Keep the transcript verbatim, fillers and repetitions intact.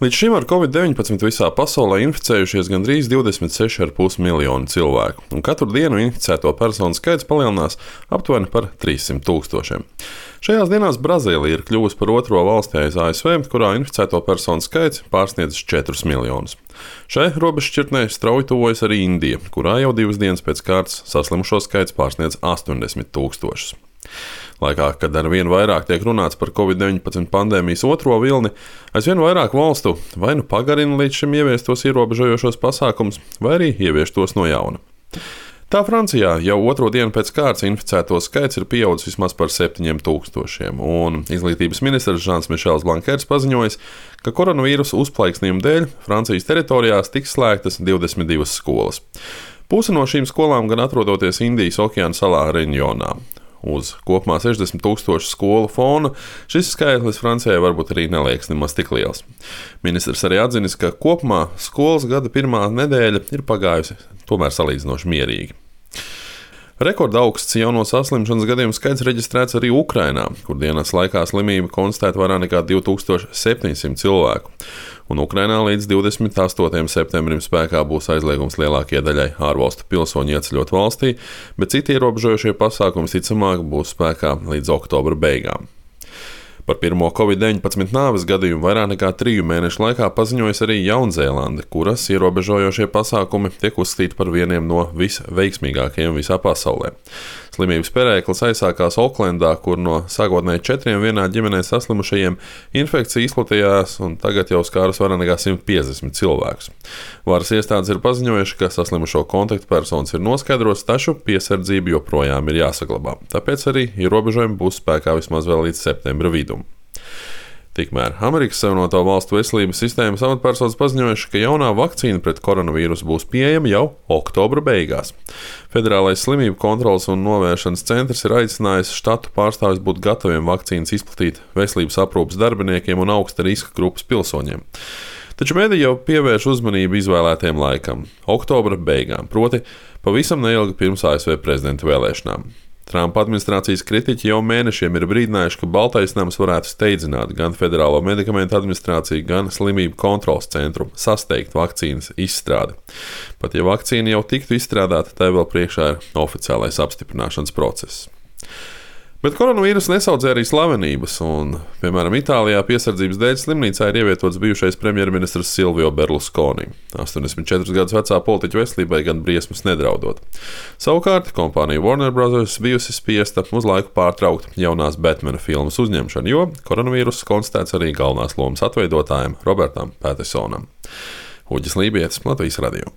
Līdz šim ar covid deviņpadsmit visā pasaulē inficējušies gandrīz divdesmit seši komats pieci miljoni cilvēku, un katru dienu inficēto personu skaits palielinās aptuveni par trīssimt tūkstošiem. Šajās dienās Brazīlija ir kļuvusi par otro valsti aiz A S V, kurā inficēto personu skaits pārsniedz četrus miljonus. Šai robežšķirtnei strauji tuvojas arī Indija, kurā jau divas dienas pēc kārtas saslimušo skaits pārsniedz astoņdesmit tūkstošus. Laikā, kad ar vien vairāk tiek runāts par covid deviņpadsmit pandēmijas otro vilni, aizvien vairāk valstu vai nu pagarina līdz šim ieviestos ierobežojošos pasākumus, vai arī ievieš tos no jauna. Tā Francijā jau otro dienu pēc kārtas inficēto skaits ir pieaudzis vismaz par septiņiem tūkstošiem, un izglītības ministrs Žans Mišels Blankers paziņojis, ka koronavīrusa uzplaiksnījuma dēļ Francijas teritorijās tiks slēgtas divdesmit divas skolas. Puse no šīm skolām gan atrodoties Indijas okeāna salā Reņjonā. Uz kopumā sešdesmit tūkstošu skolu fona šis skaitlis Francijai varbūt arī neliekas nemaz tik liels. Ministrs arī atzinis, ka kopumā skolas gada pirmā nedēļa ir pagājusi tomēr salīdzinoši mierīgi. Rekorda augsts jauno saslimšanas gadījumu skaits reģistrēts arī Ukrainā, kur dienas laikā slimību konstatēta vairāk nekā divi tūkstoši septiņsimt cilvēku. Un Ukrainā līdz divdesmit astotajam septembrim spēkā būs aizliegums lielākajai daļai ārvalstu pilsoņu ieceļot valstī, bet citi ierobežojošie pasākumi ticamāk būs spēkā līdz oktobra beigām. Par pirmo covid deviņpadsmit nāves gadījumu vairāk nekā triju mēnešu laikā paziņojas arī Jaunzēlande, kuras ierobežojošie pasākumi tiek uzskatīti par vieniem no visveiksmīgākajiem visā pasaulē. Slimības perēklis aizsākās Oklendā, kur no sākotnēji četriem vienā ģimenē saslimušajiem infekcija izplatījās un tagad jau skārus vairāk nekā simt piecdesmit cilvēkus. Varas iestādes ir paziņojuši, ka saslimušo kontaktpersonas ir noskaidrotas, taču piesardzība joprojām ir jāsaglabā. Tāpēc arī ierobežojumi būs spēkā vismaz vēl līdz septembra vidum. Tikmēr Amerikas Savienoto Valstu veselības sistēmas amatpersonas paziņojuši, ka jaunā vakcīna pret koronavīrusu būs pieejama jau oktobra beigās. Federālais slimību kontroles un novēršanas centrs ir aicinājis štatu pārstāvjus būt gataviem vakcīnas izplatīt veselības aprūpes darbiniekiem un augsta riska grupas pilsoņiem. Taču mediji jau pievērš uzmanību izvēlētajam laikam – oktobra beigām, proti pavisam neilgi pirms A S V prezidenta vēlēšanām. Trumpa administrācijas kritiķi jau mēnešiem ir brīdinājuši, ka Baltais nams varētu steidzināt gan Federālo medikamentu administrāciju, gan Slimību kontroles centru sasteigt vakcīnas izstrādi. Pat ja vakcīna jau tiktu izstrādāta, tai vēl priekšā ir oficiālais apstiprināšanas process. Bet koronavīrus nesaudzē arī slavenības, un, piemēram, Itālijā piesardzības dēļ slimnīcā ir ievietots bijušais premjerministrs Silvio Berlusconi. astoņdesmit četrus gadus vecā politiķa veselībai gan briesmas nedraudot. Savukārt kompānija Warner Brothers bijusi spiesta uz laiku pārtraukt jaunās Batmana filmas uzņemšanu, jo koronavīrus konstatēts arī galvenās lomas atveidotājam Robertam Pattisonam. Uģis Lībietis, Latvijas radio.